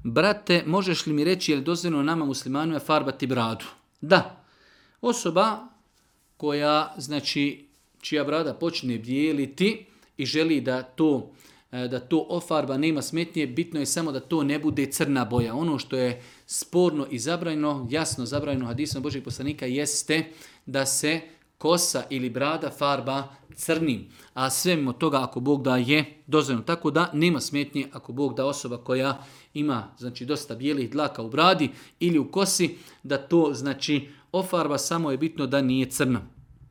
brate, možeš li mi reći je li dozvoljeno nama muslimanima farbati bradu? Da. Osoba koja, znači, čija brada počne bijeliti i želi da to ofarba, nema smetnje, bitno je samo da to ne bude crna boja. Ono što je sporno i zabranjeno, jasno zabranjeno hadisom Božih poslanika, jeste da se kosa ili brada farba crnim. A sve mimo toga, ako Bog da, je dozvoljeno. Tako da nema smetnje ako Bog da osoba koja ima, znači, dosta bijelih dlaka u bradi ili u kosi, da to, znači, ofarba, samo je bitno da nije crna.